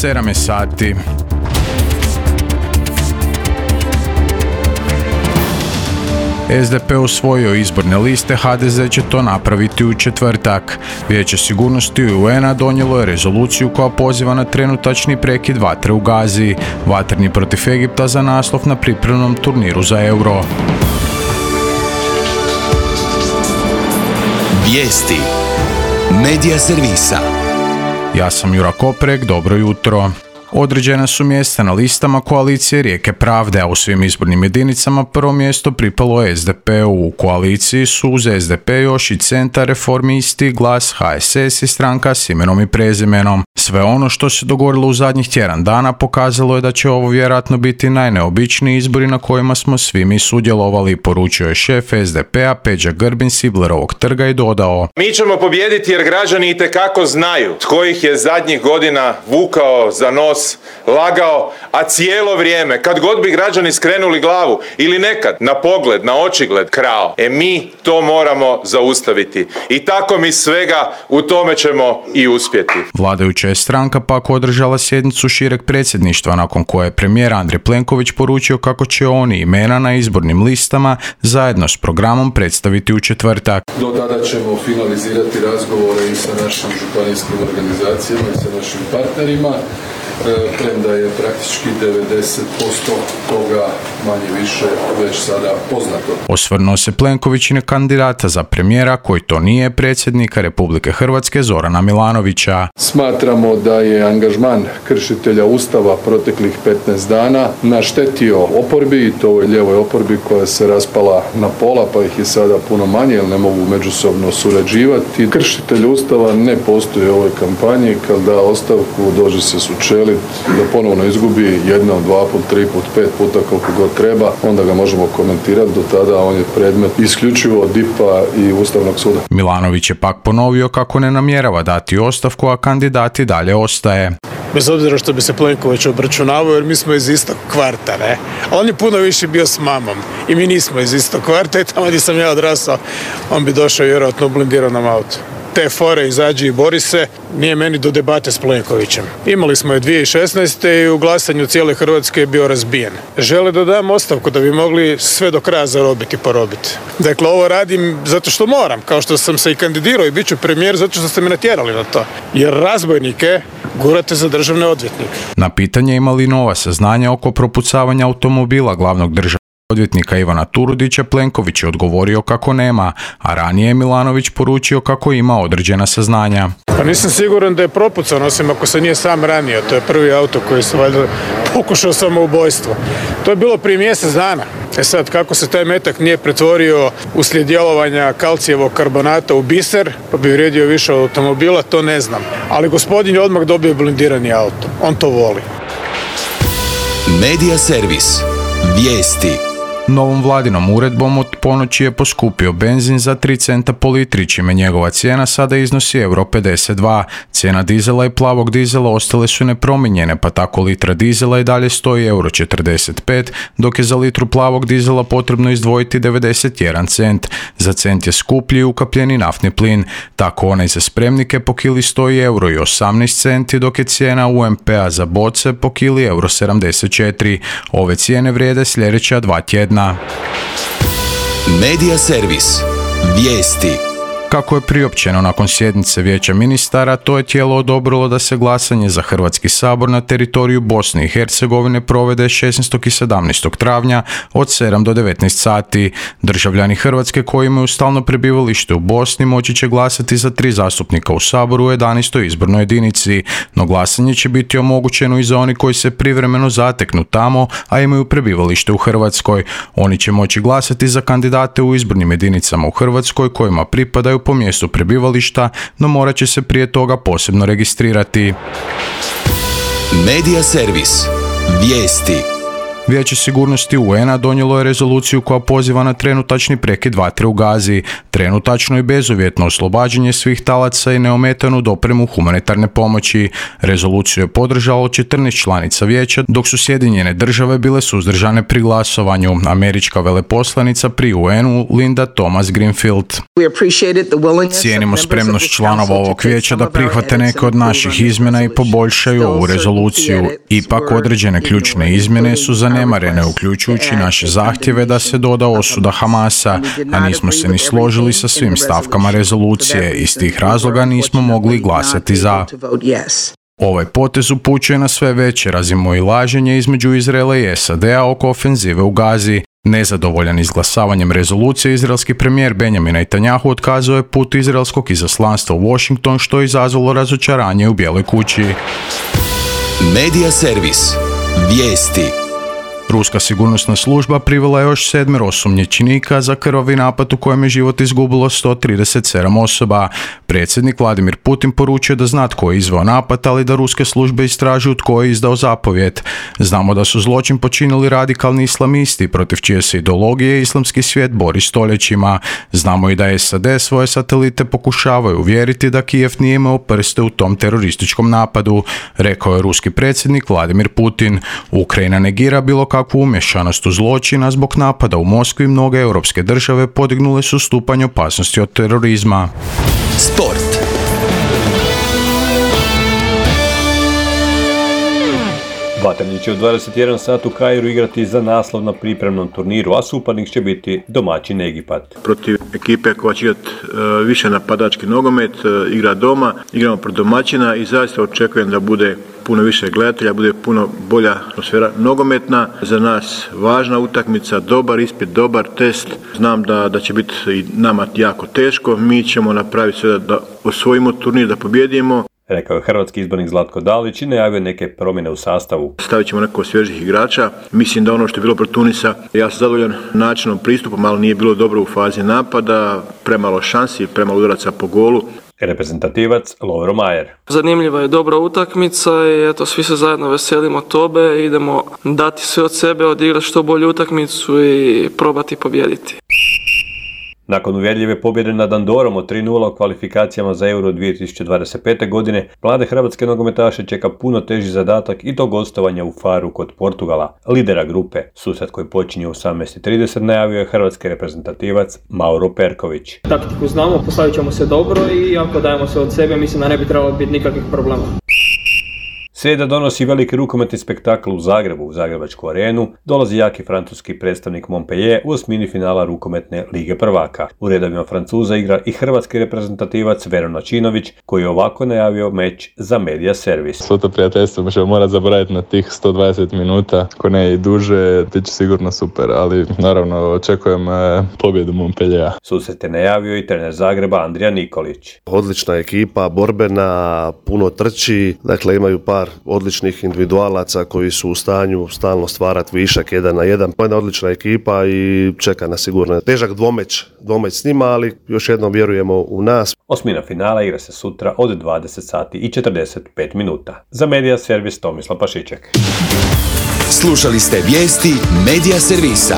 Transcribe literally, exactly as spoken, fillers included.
sedam je sati. S D P usvojio izborne liste, H D Z će to napraviti u četvrtak. Vijeće sigurnosti U N-a donijelo je rezoluciju koja poziva na trenutačni prekid vatre u Gazi, vatreni protiv Egipta za naslov na pripremnom turniru za Euro. Vijesti Medija servisa. Ja sam Jura Koprek, dobro jutro. Određena su mjesta na listama koalicije Rijeke pravde, a u svim izbornim jedinicama prvo mjesto pripalo S D P-u. U koaliciji su uz S D P još i Centar, Reformisti, Glas, H S S i Stranka s imenom i prezimenom. Sve ono što se dogodilo u zadnjih tjedan dana pokazalo je da će ovo vjerojatno biti najneobičniji izbori na kojima smo svi mi sudjelovali, poručio je šef S D P-a Peđa Grbin s Iblerovog trga i dodao: Mi ćemo pobijediti jer građani itekako znaju tko ih je zadnjih godina vukao za nos, lagao, a cijelo vrijeme, kad god bi građani skrenuli glavu ili nekad na pogled, na očigled krao. E mi to moramo zaustaviti. I tako mi svega u tome ćemo i uspjeti. Vladajuća je stranka pak održala sjednicu šireg predsjedništva nakon koje je premijer Andrej Plenković poručio kako će oni imena na izbornim listama zajedno s programom predstaviti u četvrtak. Do tada ćemo finalizirati razgovore i sa našim županijskim organizacijama i sa našim partnerima. Premda je praktički devedeset posto toga manje više već sada poznato. Osvrnuo se Plenković i na kandidata za premijera koji to nije, predsjednika Republike Hrvatske Zorana Milanovića. Smatramo da je angažman kršitelja Ustava proteklih petnaest dana naštetio oporbi, i to ovoj lijevoj oporbi koja se raspala na pola, pa ih je sada puno manje jer ne mogu međusobno surađivati. Kršitelj Ustava ne postoji u ovoj kampanji, kad da ostavku dođe se sučeliti da ponovno izgubi jednom, dva put, tri put, pet puta koliko god treba, onda ga možemo komentirati. Do tada on je predmet isključivo D I P-a i Ustavnog suda. Milanović je pak ponovio kako ne namjerava dati ostavku, a kandidat i dalje ostaje. Bez obzira što bi se Plenković obračunavao, jer mi smo iz istog kvarta, ne? A on je puno više bio s mamom i mi nismo iz istog kvarta i tamo gdje sam ja odrastao, on bi došao vjerojatno u blindiranom autu. Te fore izađi i bori se, nije meni do debate s Plenkovićem. Imali smo je dvije tisuće šesnaeste. i u glasanju cijele Hrvatske je bio razbijen. Žele da dam ostavku da bi mogli sve do kraja zarobiti i porobiti. Dakle, ovo radim zato što moram, kao što sam se i kandidirao i bit ću premijer zato što ste me natjerali na to. Jer razbojnike gurate za državne odvjetnike. Na pitanje ima li nova saznanja oko propucavanja automobila glavnog državnog odvjetnika Ivana Turudića, Plenković je odgovorio kako nema, a ranije je Milanović poručio kako ima određena saznanja. Pa nisam siguran da je propucan, osim ako se nije sam ranio. To je prvi auto koji se valjda pokušao samoubojstvo. To je bilo prije mjesec dana. E sad, kako se taj metak nije pretvorio uslijed djelovanja kalcijevog karbonata u biser, pa bi vrijedio više od automobila, to ne znam. Ali gospodin je odmah dobio blindirani auto. On to voli. Medija servis. Vijesti. Novom vladinom uredbom od ponoći je poskupio benzin za tri centa po litri, čime njegova cijena sada iznosi euro pedeset dva. Cijena dizela i plavog dizela ostale su nepromijenjene, pa tako litra dizela i dalje stoji euro četrdeset pet, dok je za litru plavog dizela potrebno izdvojiti devedeset jedan cent. Za cent je skuplji i ukapljeni naftni plin. Tako onaj za spremnike po kili stoji euro i osamnaest centi, dok je cijena U M P-a za boce po kili euro sedamdeset četiri. Ove cijene vrijede sljedeća dva tjedna. Medija servis. Vijesti. Kako je priopćeno nakon sjednice Vijeća ministara, to je tijelo odobrilo da se glasanje za Hrvatski sabor na teritoriju Bosne i Hercegovine provede šesnaestog i sedamnaestog travnja od sedam do devetnaest sati. Državljani Hrvatske koji imaju stalno prebivalište u Bosni moći će glasati za tri zastupnika u saboru u jedanaestoj izbornoj jedinici, no glasanje će biti omogućeno i za oni koji se privremeno zateknu tamo, a imaju prebivalište u Hrvatskoj. Oni će moći glasati za kandidate u izbornim jedinicama u Hrvatskoj kojima pripadaju po mjestu prebivališta, no morat će se prije toga posebno registrirati. Medija servis. Vijesti. Vijeće sigurnosti U N-a donijelo je rezoluciju koja poziva na trenutačni prekid vatre u Gazi, trenutačno i bezuvjetno oslobađanje svih talaca i neometanu dopremu humanitarne pomoći. Rezoluciju je podržalo četrnaest članica vijeća, dok su Sjedinjene države bile suzdržane pri glasovanju. Američka veleposlanica pri U N-u Linda Thomas Greenfield. Cijenimo spremnost članova ovog vijeća da prihvate neke od naših izmjena i poboljšaju ovu rezoluciju. Ipak određene ključne izmjene su zanemarene, uključujući naše zahtjeve da se doda osuda Hamasa, a nismo se ni složili sa svim stavkama rezolucije. Iz tih razloga nismo mogli glasati za. Ovaj potez upućuje na sve veće razmimoilaženje između Izraela i S A D-a oko ofenzive u Gazi. Nezadovoljan izglasavanjem rezolucije, izraelski premijer Benjamin Netanjahu otkazao je put izraelskog izaslanstva u Washington, što je izazvalo razočaranje u Bijeloj kući. Medija servis. Vijesti. Ruska sigurnosna služba privela je još sedmero osumnjičenika za krvavi napad u kojem je život izgubilo sto trideset sedam osoba. Predsjednik Vladimir Putin poručio da zna tko je izveo napad, ali da ruske službe istražuju tko je izdao zapovijed. Znamo da su zločin počinili radikalni islamisti, protiv čije se ideologije islamski svijet bori stoljećima. Znamo i da S A D svoje satelite pokušavaju uvjeriti da Kijev nije imao prste u tom terorističkom napadu, rekao je ruski predsjednik Vladimir Putin. Ukrajina negira bilo kakvu umješanost u zločina. Zbog napada u Moskvi mnoge europske države podignule su stupanj opasnosti od terorizma. Sport. Vatreni će u dvadeset jedan sat u Kairu igrati za naslov na pripremnom turniru, a suparnik će biti domaćin Egipat. Protiv ekipe koja će igrati e, više napadački nogomet, e, igra doma, igramo protiv domaćina i zaista očekujem da bude puno više gledatelja, bude puno bolja atmosfera nogometna. Za nas važna utakmica, dobar ispit, dobar test. Znam da, da će biti i nama jako teško. Mi ćemo napraviti sve da, da osvojimo turnir, da pobjedimo. Rekao je hrvatski izbornik Zlatko Dalić i najavio neke promjene u sastavu. Stavit ćemo neko svježih igrača. Mislim da ono što je bilo protiv Tunisa, ja sam zadovoljan načinom pristupom, ali nije bilo dobro u fazi napada, premalo šansi, premalo udaraca po golu. Reprezentativac Lovro Majer. Zanimljiva je dobra utakmica i eto, svi se zajedno veselimo tobe, idemo dati sve od sebe, odigrati što bolju utakmicu i probati pobijediti. Nakon uvjerljive pobjede nad Andorom od tri nula u kvalifikacijama za Euro dvije tisuće dvadeset pete. godine, mlade hrvatske nogometaše čeka puno teži zadatak i to gostovanja u Faru kod Portugala, lidera grupe. Susret koji počinje u osamnaest i trideset najavio je hrvatski reprezentativac Mauro Perković. Taktiku znamo, postavit ćemo se dobro i ako dajemo sve od sebe, mislim da ne bi trebalo biti nikakvih problema. Srijeda donosi veliki rukometni spektakl u Zagrebu, u Zagrebačku arenu. Dolazi jaki francuski predstavnik Montpellier u osmini finala rukometne Lige prvaka. U redovima Francuza igra i hrvatski reprezentativac Veron Načinović, koji je ovako najavio meč za Medija servis. Svo to prijateljstvo ćemo morati zaboraviti na tih sto dvadeset minuta, ako ne i duže, ti će sigurno super, ali naravno očekujem pobjedu Montpelliera. Susret je najavio i trener Zagreba Andrija Nikolić. Odlična ekipa, borbena, puno trči, dakle imaju par odličnih individualaca koji su u stanju stalno stvarati višak jedan na jedan. Jedna odlična ekipa i čeka nas sigurno težak dvomeć, dvomeć s njima, ali još jednom vjerujemo u nas. Osmina finala igra se sutra od dvadeset sati i četrdeset pet minuta. Za Medija servis Tomislav Pašiček. Slušali ste vijesti Medija servisa.